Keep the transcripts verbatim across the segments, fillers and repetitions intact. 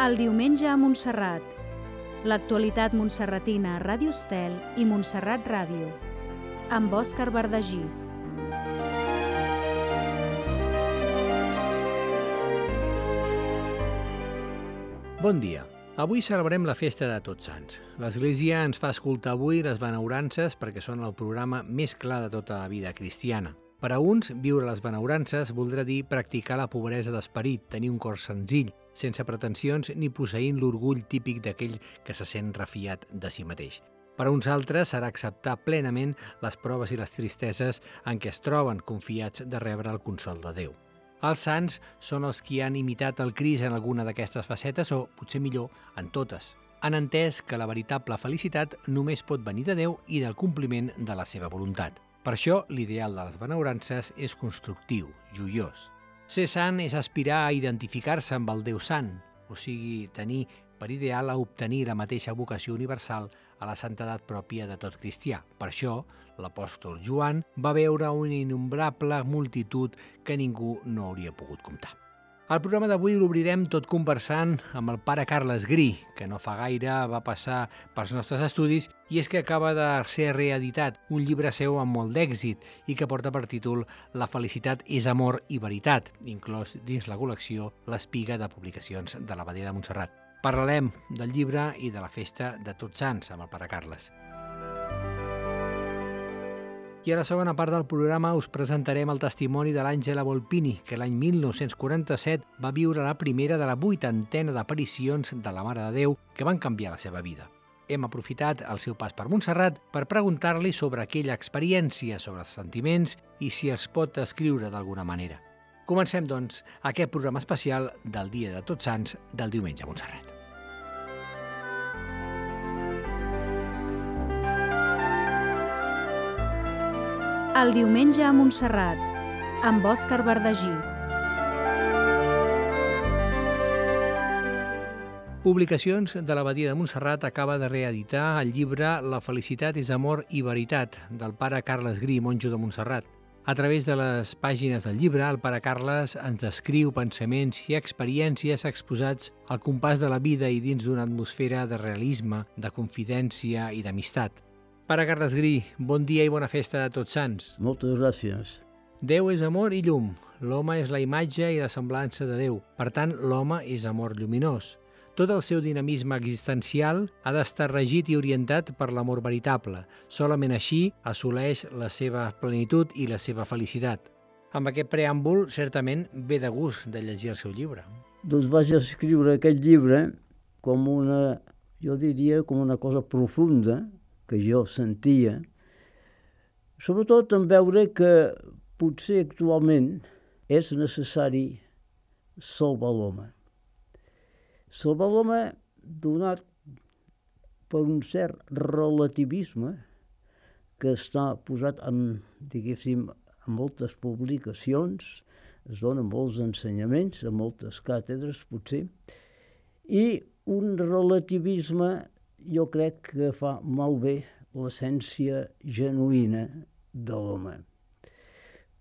El diumenge a Montserrat. L'actualitat montserratina a Ràdio Estel i Montserrat Ràdio. Amb Òscar Verdagí. Bon dia. Avui celebrem la festa de Tots Sants. L'Església ens fa escoltar avui les benaurances perquè són el programa més clar de tota la vida cristiana. Per a uns, viure les benaurances voldrà dir practicar la pobresa d'esperit, tenir un cor senzill, sense pretensions ni posseint l'orgull típic d'aquell que se sent refiat de si mateix. Per a uns altres serà acceptar plenament les proves i les tristeses en què es troben confiats de rebre el consol de Déu. Els sants són els qui han imitat el Crist en alguna d'aquestes facetes o, potser millor, en totes. Han entès que la veritable felicitat només pot venir de Déu i del compliment de la seva voluntat. Per això, l'ideal de les benaurances és constructiu, joiós. Ser sant és aspirar a identificar-se amb el Déu sant, o sigui, tenir per ideal a obtenir la mateixa vocació universal a la santedat pròpia de tot cristià. Per això, l'apòstol Joan va veure una innombrable multitud que ningú no hauria pogut comptar. El programa d'avui l'obrirem tot conversant amb el pare Carles Gri, que no fa gaire va passar pels nostres estudis i és que acaba de ser reeditat un llibre seu amb molt d'èxit i que porta per títol La felicitat és amor i veritat, inclòs dins la col·lecció L'Espiga de Publicacions de l'Abadia de Montserrat. Parlarem del llibre i de la festa de Tots Sants amb el pare Carles. I a la segona part del programa us presentarem el testimoni de l'Àngela Volpini, que l'any mil nou-cents quaranta-set va viure la primera de la vuitantena d'aparicions de la Mare de Déu que van canviar la seva vida. Hem aprofitat el seu pas per Montserrat per preguntar-li sobre aquella experiència, sobre els sentiments i si els pot escriure d'alguna manera. Comencem, doncs, aquest programa especial del Dia de Tots Sants del diumenge a Montserrat. El diumenge a Montserrat, amb Òscar Verdagí. Publicacions de l'Abadia de Montserrat acaba de reeditar el llibre La felicitat és amor i veritat, del pare Carles Gri, monjo de Montserrat. A través de les pàgines del llibre, el pare Carles ens descriu pensaments i experiències exposats al compàs de la vida i dins d'una atmosfera de realisme, de confidència i d'amistat. Pare Carles Gri, bon dia i bona festa de Tots Sants. Moltes gràcies. Déu és amor i llum. L'home és la imatge i la semblança de Déu. Per tant, l'home és amor lluminós. Tot el seu dinamisme existencial ha d'estar regit i orientat per l'amor veritable. Solament així assoleix la seva plenitud i la seva felicitat. Amb aquest preàmbul, certament, ve de gust de llegir el seu llibre. Doncs vaig escriure aquest llibre com una, jo diria, com una cosa profunda que jo sentia, sobretot en veure que potser actualment és necessari salvar l'home. Salvar l'home donat per un cert relativisme que està posat en, diguéssim, en moltes publicacions, es donen molts ensenyaments, a moltes càtedres potser, i un relativisme jo crec que fa malbé l'essència genuïna de l'home.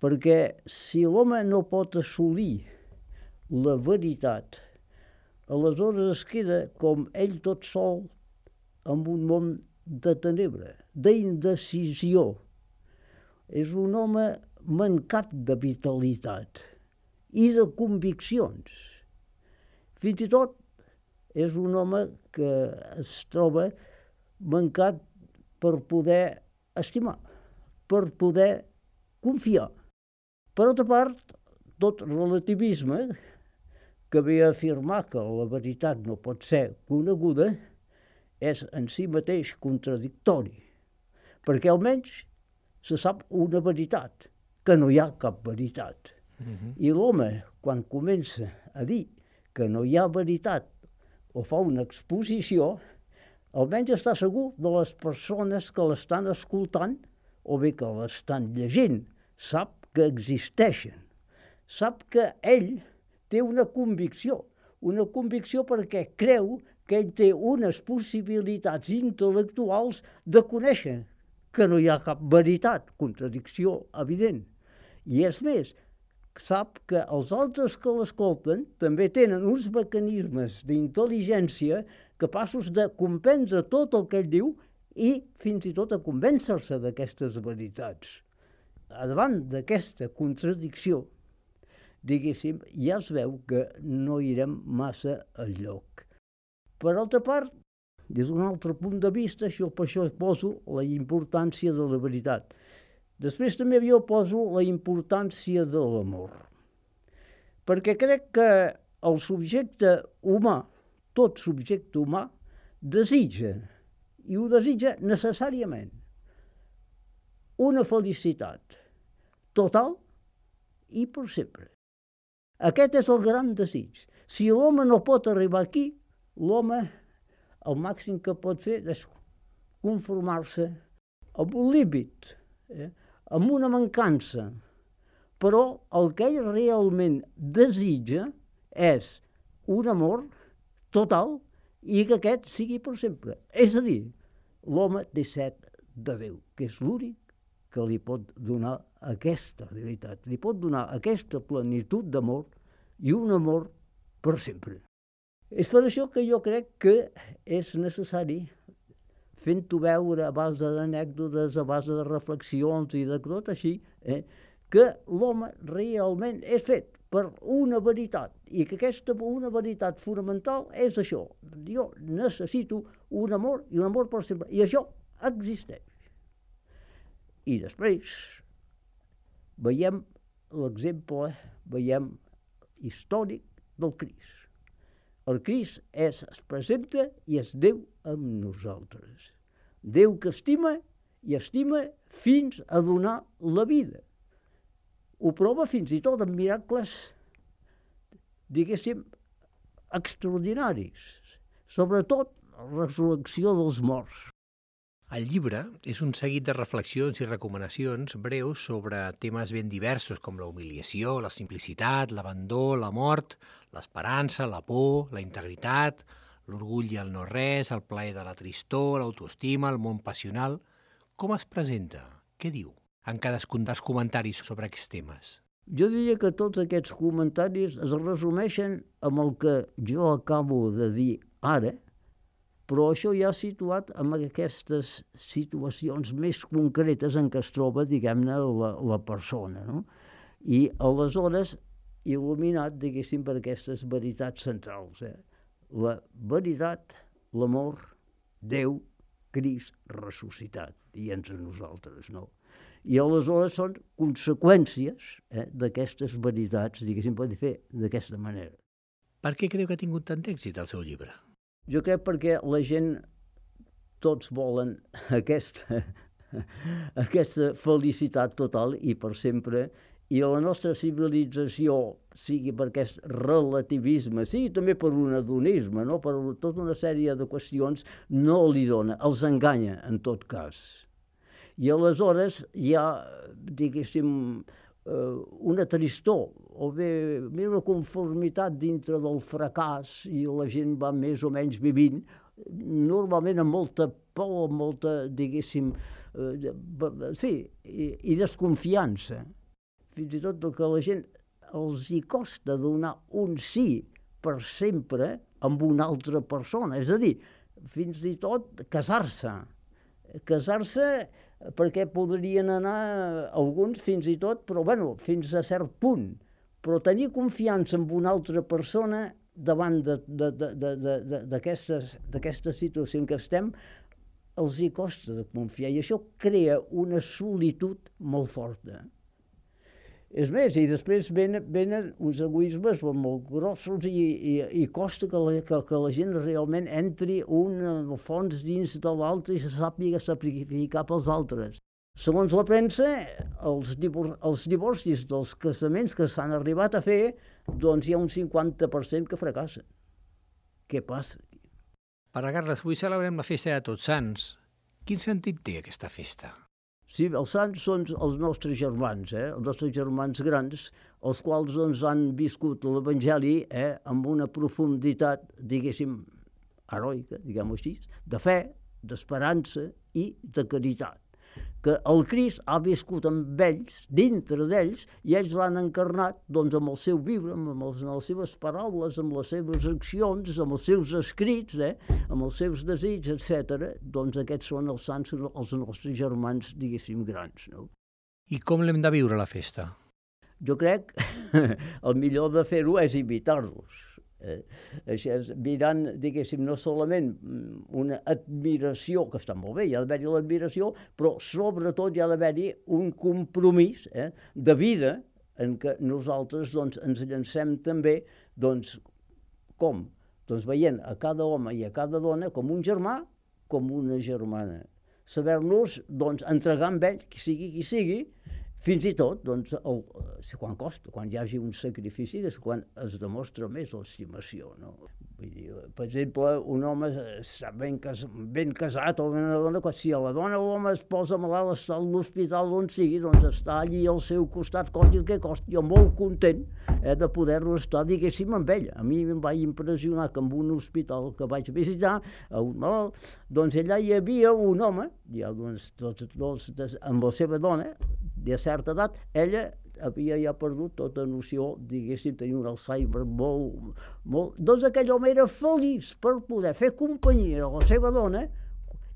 Perquè si l'home no pot assolir la veritat, aleshores es queda com ell tot sol en un món de tenebra, d'indecisió. És un home mancat de vitalitat i de conviccions. Fins i tot és un home que es troba mancat per poder estimar, per poder confiar. Per altra part, tot relativisme, que ve a afirmar que la veritat no pot ser coneguda, és en si mateix contradictori, perquè almenys se sap una veritat, que no hi ha cap veritat. Uh-huh. I l'home, quan comença a dir que no hi ha veritat o fa una exposició, almenys està segur de les persones que l'estan escoltant o bé que l'estan llegint. Sap que existeixen. Sap que ell té una convicció. Una convicció perquè creu que ell té unes possibilitats intel·lectuals de conèixer que no hi ha cap veritat, contradicció evident. I és més, sap que els altres que l'escolten també tenen uns mecanismes d'intel·ligència capaços de comprendre tot el que ell diu i fins i tot a convèncer-se d'aquestes veritats. A davant d'aquesta contradicció, diguéssim, ja es veu que no irem massa enlloc. Per altra part, des d'un altre punt de vista, això, per això poso la importància de la veritat. Després també jo poso la importància de l'amor. Perquè crec que el subjecte humà, tot subjecte humà, desitja, i ho desitja necessàriament, una felicitat total i per sempre. Aquest és el gran desig. Si l'home no pot arribar aquí, l'home el màxim que pot fer és conformar-se amb un límit, eh? amb una mancança. Però el que ell realment desitja és un amor total i que aquest sigui per sempre. És a dir, l'home té set de Déu, que és l'únic que li pot donar aquesta realitat, li pot donar aquesta plenitud d'amor i un amor per sempre. És per això que jo crec que és necessari, fent-ho veure a base d'anècdotes, a base de reflexions i de tot així, eh, que l'home realment és fet per una veritat i que aquesta una veritat fonamental és això. Jo necessito un amor i un amor per sempre. I això existeix. I després veiem l'exemple, veiem històric del Crist. El Crist és, es presenta i és Déu amb nosaltres. Déu que estima i estima fins a donar la vida. Ho prova fins i tot amb miracles, diguéssim, extraordinaris. Sobretot la resurrecció dels morts. El llibre és un seguit de reflexions i recomanacions breus sobre temes ben diversos com la humiliació, la simplicitat, l'abandó, la mort, l'esperança, la por, la integritat, l'orgull i el no-res, el plaer de la tristor, l'autoestima, el món passional. Com es presenta? Què diu en cadascun dels comentaris sobre aquests temes? Jo diria que tots aquests comentaris es resumeixen amb el que jo acabo de dir ara, però això ja situat en aquestes situacions més concretes en què es troba, diguem-ne, la, la persona, no? I aleshores il·luminat, diguéssim, per aquestes veritats centrals. Eh? La veritat, l'amor, Déu, Crist, ressuscitat, i entre nosaltres, no? I aleshores són conseqüències eh, d'aquestes veritats, diguéssim, pot fer d'aquesta manera. Per què creu que ha tingut tant èxit el seu llibre? Jo crec perquè la gent, tots volen aquesta, aquesta felicitat total i per sempre, i la nostra civilització, sigui per aquest relativisme, sigui també per un hedonisme, no? Per tota una sèrie de qüestions, no li dona, els enganya en tot cas. I aleshores hi ha, diguéssim, una tristor, o bé una conformitat dintre del fracàs i la gent va més o menys vivint, normalment amb molta por, amb molta, diguéssim, eh, sí, i, i desconfiança. Fins i tot que a la gent els hi costa donar un sí per sempre amb una altra persona, és a dir, fins i tot casar-se. Casar-se perquè podrien anar alguns fins i tot, però bueno, fins a cert punt. Però tenir confiança en una altra persona davant d'aquesta situació en què estem, els hi costa de confiar. I això crea una solitud molt forta. És més, i després venen, venen uns egoismes molt grossos i, i, i costa que la, que, que la gent realment entri un fons dins de l'altre i se sàpiga sacrificar pels altres. Segons la premsa, els, divor, els divorcis dels casaments que s'han arribat a fer, doncs hi ha un cinquanta per cent que fracassen. Què passa aquí? Pare Carles, avui celebrem la festa de Tots Sants. Quin sentit té aquesta festa? Sí, els sants són els nostres germans, eh? els nostres germans grans, els quals doncs, han viscut l'Evangeli eh? amb una profunditat, diguéssim, heroica, diguem-ho així, de fe, d'esperança i de caritat. que el Crist ha viscut amb ells, dintre d'ells, i ells l'han encarnat doncs, amb el seu viure, amb, els, amb les seves paraules, amb les seves accions, amb els seus escrits, eh, amb els seus desigs, etcètera. Doncs aquests són els sants, els nostres germans, diguéssim, grans. No? I com l'hem de viure, la festa? Jo crec que el millor de fer-ho és imitar-los. Eh, això és mirant, diguéssim, no solament una admiració, que està molt bé, hi ha d'haver-hi l'admiració, però sobretot hi ha d'haver-hi un compromís eh, de vida en què nosaltres doncs, ens llancem també, doncs, com? Doncs veient a cada home i a cada dona com un germà, com una germana. Saber-nos doncs, entregar amb ell, qui sigui qui sigui, fins i tot, doncs, el, quan costa, quan hi hagi un sacrifici, és quan es demostra més l'estimació. No? Vull dir, per exemple, un home està ben, cas, ben casat o una dona, si a la dona o l'home es posa malalt, està a l'hospital on sigui, doncs està allí al seu costat, costi el que costi, jo molt content eh, de poder-lo estar, diguéssim, amb ell. A mi em va impressionar que en un hospital que vaig visitar, a un malalt, doncs allà hi havia un home, ja, doncs, tots, tots, amb la seva dona, de certa edat, ella havia ja perdut tota noció, diguéssim, tenia un Alzheimer molt, molt... Doncs aquell home era feliç per poder fer companyia a la seva dona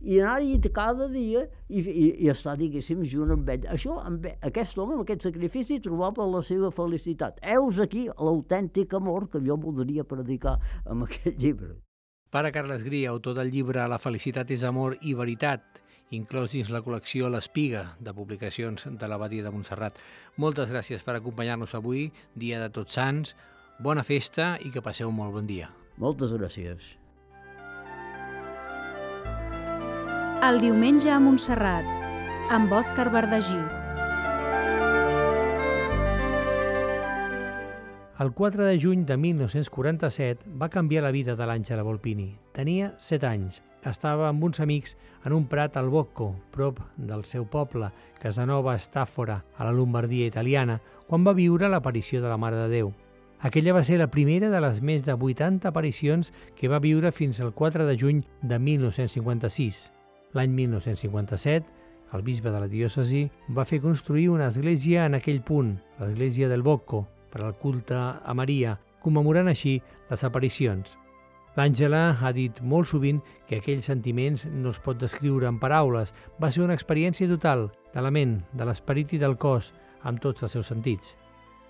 i anar-hi cada dia i, i, i estar, diguéssim, junt amb ell. Això, amb aquest home, amb aquest sacrifici, trobava la seva felicitat. Heus aquí l'autèntic amor que jo voldria predicar amb aquest llibre. Pare Carles Gria, autor del llibre La felicitat és amor i veritat, inclòs dins la col·lecció L'Espiga, de publicacions de l'Abadia de Montserrat. Moltes gràcies per acompanyar-nos avui, dia de Tots Sants. Bona festa i que passeu un molt bon dia. Moltes gràcies. El diumenge a Montserrat, amb Òscar Verdagí. El quatre de juny de mil nou-cents quaranta-set va canviar la vida de l'Àngela Volpini. Tenia set anys. Estava amb uns amics en un prat al Bocco, prop del seu poble, Casanova Stàfora, a la Lombardia italiana, quan va viure l'aparició de la Mare de Déu. Aquella va ser la primera de les més de vuitanta aparicions que va viure fins al quatre de juny de mil nou-cents cinquanta-sis. L'any mil nou-cents cinquanta-set, el bisbe de la diòcesi va fer construir una església en aquell punt, l'església del Bocco, per al culte a Maria, commemorant així les aparicions. L'Àngela ha dit molt sovint que aquells sentiments no es pot descriure en paraules. Va ser una experiència total, de la ment, de l'esperit i del cos, amb tots els seus sentits.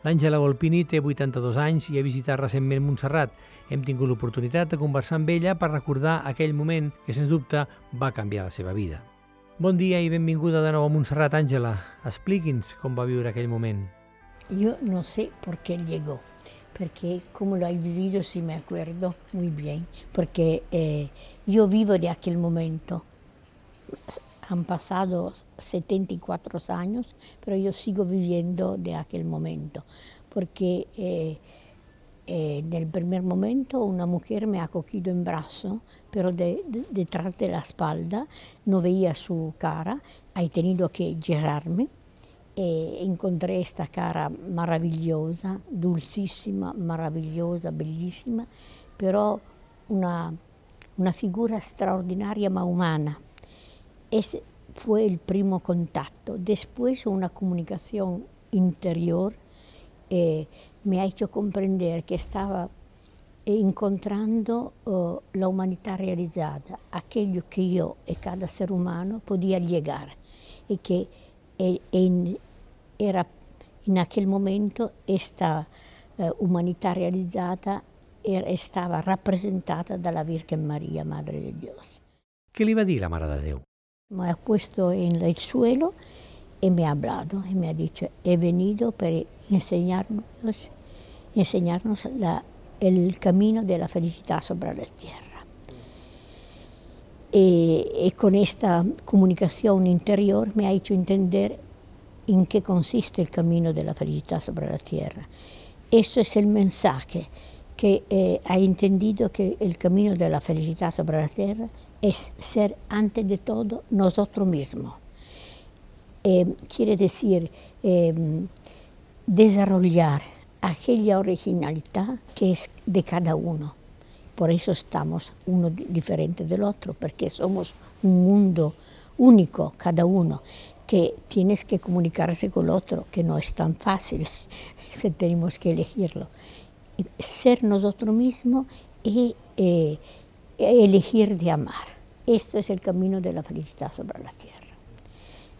L'Àngela Volpini té vuitanta-dos anys i ha visitat recentment Montserrat. Hem tingut l'oportunitat de conversar amb ella per recordar aquell moment que, sens dubte, va canviar la seva vida. Bon dia i benvinguda de nou a Montserrat, Àngela. Expliqui'ns com va viure aquell moment. Yo no sé por qué llegó, porque como lo he vivido sí me acuerdo muy bien, porque eh, yo vivo de aquel momento. Han pasado setenta y cuatro años, pero yo sigo viviendo de aquel momento, porque eh, eh, en el primer momento una mujer me ha cogido en brazo, pero de, de, detrás de la espalda no veía su cara, he tenido que girarme. E incontré esta cara meravigliosa, dulcissima, meravigliosa, bellissima, però una, una figura straordinaria ma umana. Ese fue el primo contacto. Después una comunicación interior eh, me ha hecho comprender que estaba encontrando uh, la humanità realizzata, aquello que yo y cada ser humano podía llegar y que en, era in aquel momento esta uh, umanità realizzata era, estava rappresentata dalla Virgen Maria, Madre de Dios. Què li va dir la Mare de Déu? Me ha puesto en el suelo y me ha hablado y me ha dicho, he venido para enseñarnos, enseñarnos la, el camino de la felicidad sobre la tierra. Y, y con esta comunicación interior me ha hecho entender en qué consiste el camino de la felicidad sobre la tierra. Eso es el mensaje que eh, ha entendido que el camino de la felicidad sobre la tierra es ser antes de todo nosotros mismos. Eh, quiere decir eh, desarrollar aquella originalidad que es de cada uno. Por eso estamos uno diferente del otro, porque somos un mundo único, cada uno. que tienes que comunicarse con el otro, que no es tan fácil, si tenemos que elegirlo. Ser nosotros mismos y eh, elegir de amar. Esto es el camino de la felicidad sobre la tierra.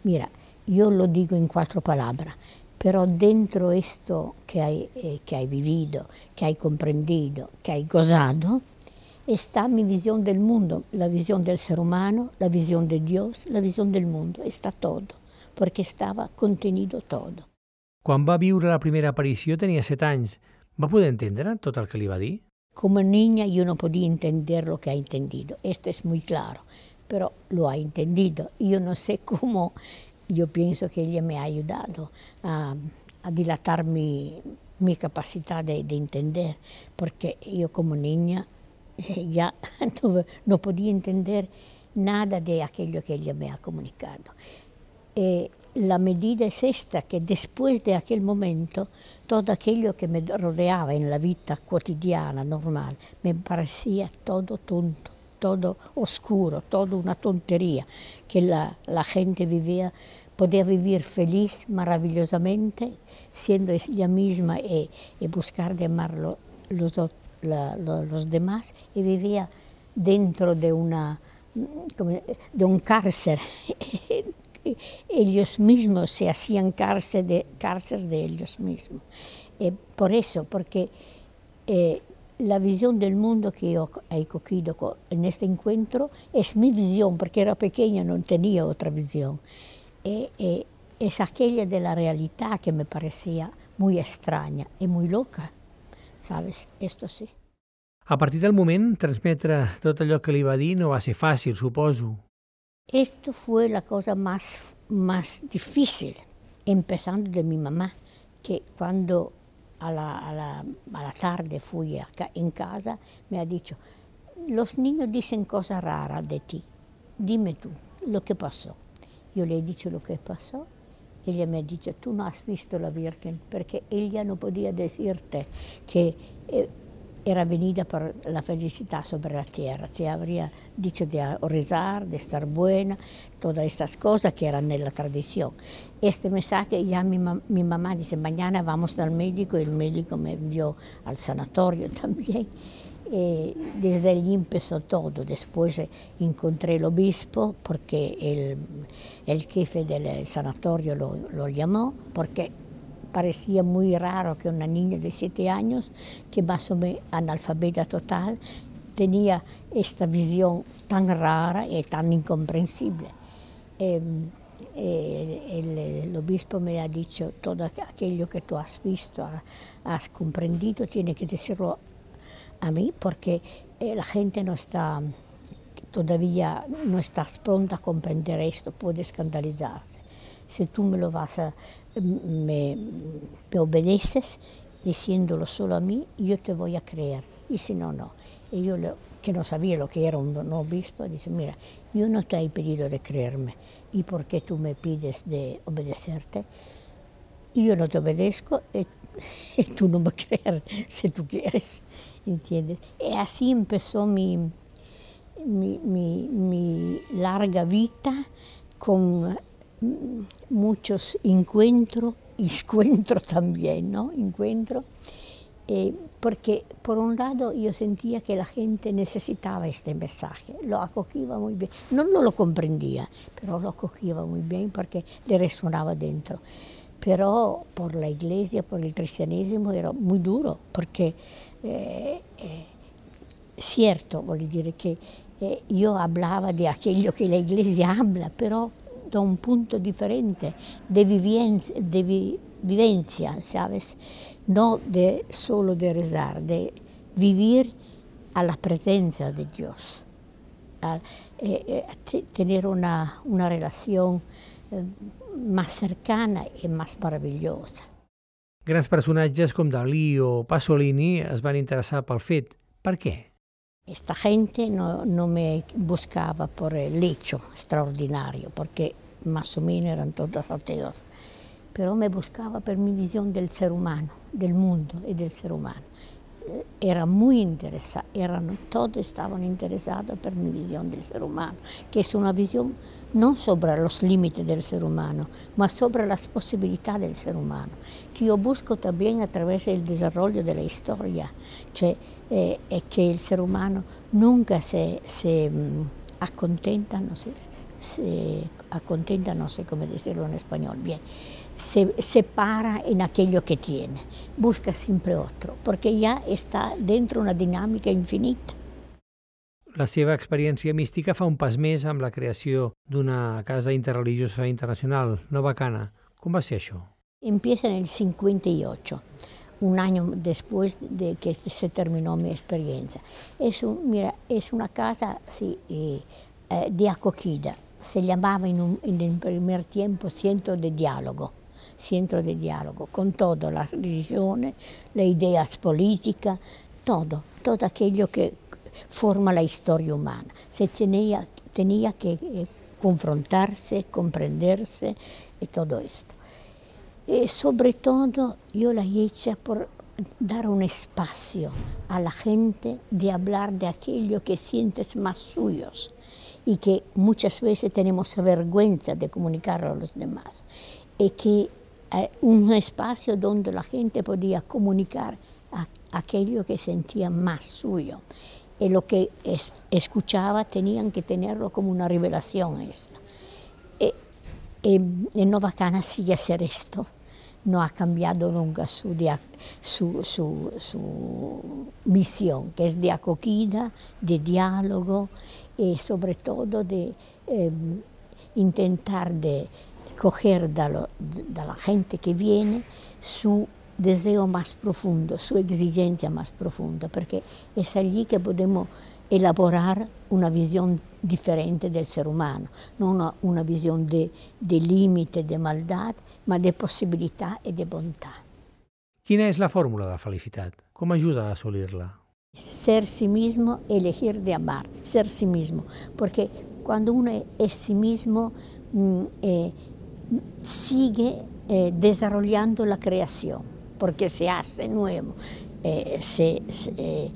Mira, yo lo digo en cuatro palabras, pero dentro de esto que hay, eh, que hay vivido, que hay comprendido, que hay gozado, está mi visión del mundo, la visión del ser humano, la visión de Dios, la visión del mundo, está todo, porque estava contenido todo. Quan va viure la primera aparició tenia set anys. Va poder entendre tot el que li va dir? Como niña yo no podía entender lo que ha entendido, esto es muy claro, pero lo ha entendido. Yo no sé cómo, yo pienso que ella me ha ayudado a, a dilatar mi, mi capacidad de, de entender, porque yo como niña eh, ya no, no podía entender nada de aquello que ella me ha comunicado. Eh, la medida es esta, que después de aquel momento, todo aquello que me rodeaba en la vida cotidiana, normal, me parecía todo tonto, todo oscuro, todo una tontería, que la, la gente vivía, podía vivir feliz, maravillosamente, siendo ella misma y, y buscar de amar lo, los, la, lo, los demás, y vivía dentro de, una, de un cárcel. Ellos mismos se hacían cárcel de, cárcel de ellos mismos. Eh, por eso, porque eh, la visión del mundo que yo he cogido con, en este encuentro es mi visión, porque era pequeña, no tenía otra visión. Eh, eh, es aquella de la realidad que me parecía muy extraña y muy loca, ¿sabes? Esto sí. A partir del moment, transmetre tot allò que li va dir no va ser fàcil, suposo. Esto fue la cosa más, más difícil, empezando de mi mamá, que cuando a la, a la, a la tarde fui a, en casa, me ha dicho, los niños dicen cosas raras de ti, dime tú lo que pasó. Yo le he dicho lo que pasó, ella me ha dicho, tú no has visto la Virgen, porque ella no podía decirte que eh, era venida por la felicidad sobre la tierra, te habría dicho de rezar, de estar buena, todas estas cosas que eran en la tradición. Este mensaje ya mi, mi mamá dice, mañana vamos al médico, y el médico me envió al sanatorio también. Eh, desde allí empezó todo. Después encontré el obispo, porque el, el jefe del sanatorio lo, lo llamó, porque parecía muy raro que una niña de siete años, que más o menos analfabeta total, tenía esta visión tan rara y tan incomprensible. Eh, eh, el, el obispo me ha dicho, todo aquello que tú has visto, has comprendido, tiene que decirlo a mí, porque eh, la gente no está, todavía no estás pronta a comprender esto, puede escandalizarse. Si tú me lo vas a Me, me obedeces diciéndolo solo a mí, yo te voy a creer, y si no, no. Y yo, lo, que no sabía lo que era un, un obispo, dice, mira, yo no te he pedido de creerme, ¿y por qué tú me pides de obedecerte? Y yo no te obedezco, y, y tú no me crees si tú quieres, ¿entiendes? Y así empezó mi, mi, mi, mi larga vida con muchos encuentros, encuentros también, ¿no? Encuentros, eh, porque por un lado yo sentía que la gente necesitaba este mensaje, lo acogía muy bien, no, no lo comprendía, pero lo acogía muy bien porque le resonaba dentro. Pero por la iglesia, por el cristianesimo era muy duro, porque eh, eh, cierto, voglio dire que eh, yo hablaba de aquello que la iglesia habla, pero da un punto diferente de vivencia, de vi, vivencia, ¿sabes? No de solo de rezar, de vivir a la presencia de Dios, a, eh, eh, tener una, una relación eh, más cercana y más maravillosa. Grans personatges com Dalí o Pasolini es van interessar pel fet. Per què? Esta gente no, no me buscaba por el hecho extraordinario, porque más o menos eran todos ateos, pero me buscaba por mi visión del ser humano, del mundo y del ser humano. era muy interesado, eran, todos estaban interesados por mi visión del ser humano, que es una visión no sobre los límites del ser humano, ma sobre las posibilidades del ser humano, que yo busco también a través del desarrollo de la historia, cioè eh, es que el ser humano nunca se, se um, acontenta, no sé, se acontenta, no sé cómo decirlo en español, bien, se, se para en aquello que tiene, busca siempre otro, porque ya está dentro una dinámica infinita. La seva experiència mística fa un pas més amb la creació d'una casa interreligiosa internacional, Nova Cana. Com va ser això? Empieza en el cincuenta y ocho, un año después de que se terminó mi experiencia. Es, un, mira, es una casa sí, eh, eh, de acogida, se llamaba en, un, en el primer tiempo Centro de Diálogo, Centro de Diálogo, con toda la religión, las ideas políticas, todo, todo aquello que forma la historia humana. Se tenía, tenía que eh, confrontarse, comprenderse y todo esto. Y sobre todo yo la hice por dar un espacio a la gente de hablar de aquello que sientes más suyos y que muchas veces tenemos vergüenza de comunicarlo a los demás. Y que eh, un espacio donde la gente podía comunicar a, aquello que sentía más suyo. Y lo que es, escuchaba tenían que tenerlo como una revelación esta. Y, y en Nova Cana sigue hacer esto. No ha cambiado nunca su, dia, su, su, su misión, que es de acogida, de diálogo y sobre todo de eh, intentar de coger de, lo, de la gente que viene su deseo más profundo, su exigencia más profunda, porque es allí que podemos elaborar una visión diferente del ser humano, no una, una visión de, de límite, de maldad, ma de possibilità e de bontà. Quina és la fórmula de la felicitat? Com ajuda a assolir-la? Ser sí mismo, elegir de amar, ser sí mismo, porque cuando uno es sí mismo eh, sigue eh, desarrollando la creación, porque se hace nuevo, eh, se, se, eh,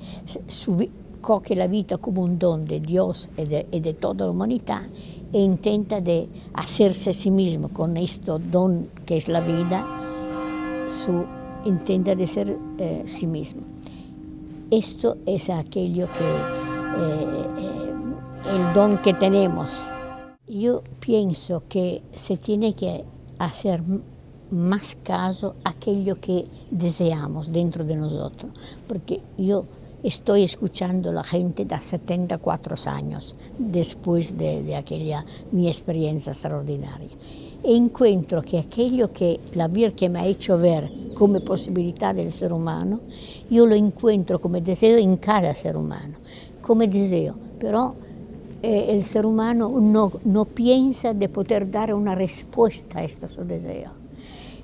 su, coge la vida como un don de Dios y de, y de toda la humanidad e intenta de hacerse a sí mismo con este don que es la vida, su, intenta de ser eh, sí mismo. Esto es aquello que, eh, eh, el don que tenemos. Yo pienso que se tiene que hacer más caso a aquello que deseamos dentro de nosotros, porque yo estoy escuchando a la gente de setenta y cuatro años, después de, de aquella mi experiencia extraordinaria. E encuentro que aquello que la Virgen me ha hecho ver como posibilidad del ser humano, yo lo encuentro como deseo en cada ser humano, como deseo, pero eh, el ser humano no, no piensa de poder dar una respuesta a estos deseos.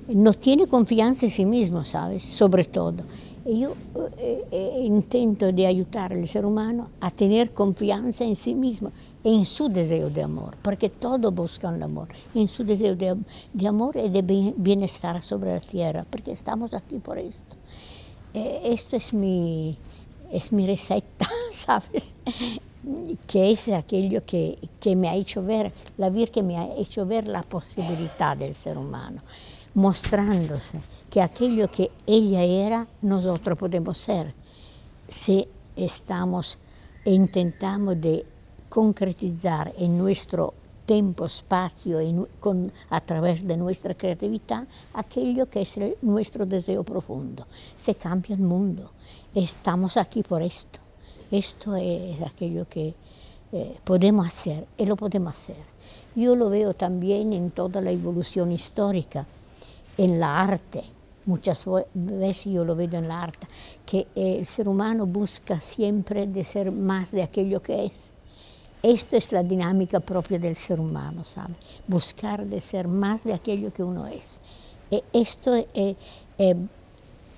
No tiene confianza en sí mismo, ¿sabes? Sobre todo. Y yo eh, eh, intento de ayudar al ser humano a tener confianza en sí mismo, en su deseo de amor, porque todos buscan el amor, en su deseo de, de amor y de bienestar sobre la tierra, porque estamos aquí por esto. Eh, esto es mi, es mi receta, ¿sabes? Que es aquello que, que me ha hecho ver, la Virgen me ha hecho ver la posibilidad del ser humano, mostrándose que aquello que ella era, nosotros podemos ser, si estamos e intentamos de concretizar en nuestro tiempo, espacio, en, con, a través de nuestra creatividad, aquello que es el, nuestro deseo profundo. Se cambia el mundo. Estamos aquí por esto. Esto es aquello que eh, podemos hacer, y lo podemos hacer. Yo lo veo también en toda la evolución histórica, en la arte. Muchas veces yo lo veo en la arte, que el ser humano busca siempre de ser más de aquello que es. Esto es la dinámica propia del ser humano, ¿sabe? Buscar de ser más de aquello que uno es. Y esto es, es,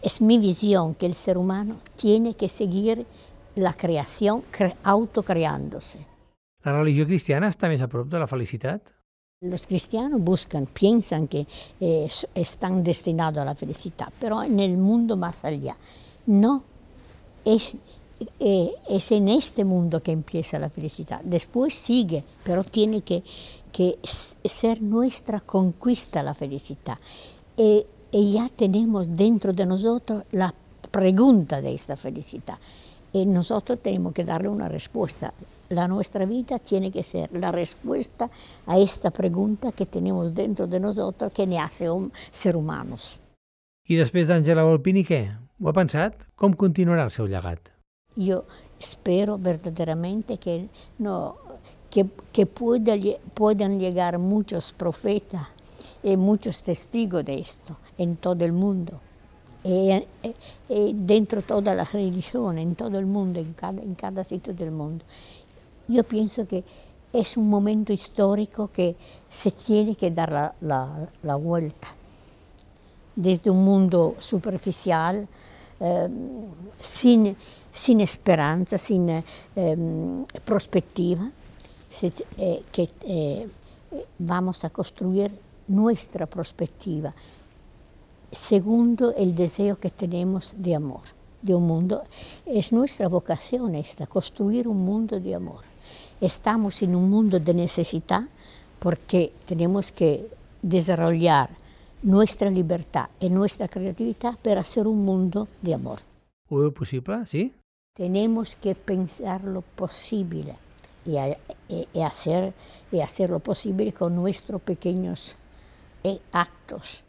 es mi visión, que el ser humano tiene que seguir la creación cre autocreándose. La religió cristiana està més a prop de la felicitat? Los cristianos buscan, piensan que eh, están destinados a la felicidad, pero en el mundo más allá. No, es, eh, es en este mundo que empieza la felicidad. Después sigue, pero tiene que, que ser nuestra conquista la felicidad. Eh, y ya tenemos dentro de nosotros la pregunta de esta felicidad. Y nosotros tenemos que darle una respuesta. La nuestra vida tiene que ser la respuesta a esta pregunta que tenemos dentro de nosotros que nos hace un, ser humanos. I després d'Àngela Volpini, què? Ho ha pensat? Com continuarà el seu llegat? Yo espero verdaderamente que, no, que, que pueda, puedan llegar muchos profetas y muchos testigos de esto en todo el mundo. Y, y dentro de todas las religiones, en todo el mundo, en cada, en cada sitio del mundo. Yo pienso que es un momento histórico que se tiene que dar la, la, la vuelta. Desde un mundo superficial, eh, sin, sin esperanza, sin eh, perspectiva, se, eh, que eh, vamos a construir nuestra perspectiva. Segundo, el deseo que tenemos de amor, de un mundo. Es nuestra vocación esta, construir un mundo de amor. Estamos en un mundo de necesidad porque tenemos que desarrollar nuestra libertad y nuestra creatividad para hacer un mundo de amor. Ho veu possible, sí? Tenemos que pensar lo posible y, a, y, y, hacer, y hacer lo posible con nuestros pequeños actos.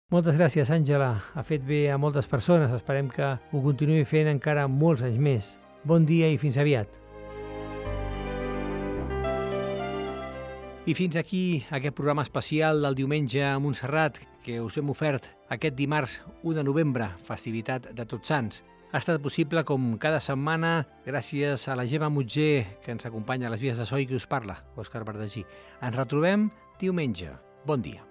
Moltes gràcies, Àngela. Ha fet bé a moltes persones. Esperem que ho continuï fent encara molts anys més. Bon dia i fins aviat. I fins aquí aquest programa especial del diumenge a Montserrat que us hem ofert aquest dimarts u de novembre, festivitat de Tots Sants. Ha estat possible com cada setmana gràcies a la Gemma Mutger que ens acompanya a les vies de so i que us parla, Òscar Verdagí. Ens retrobem diumenge. Bon dia.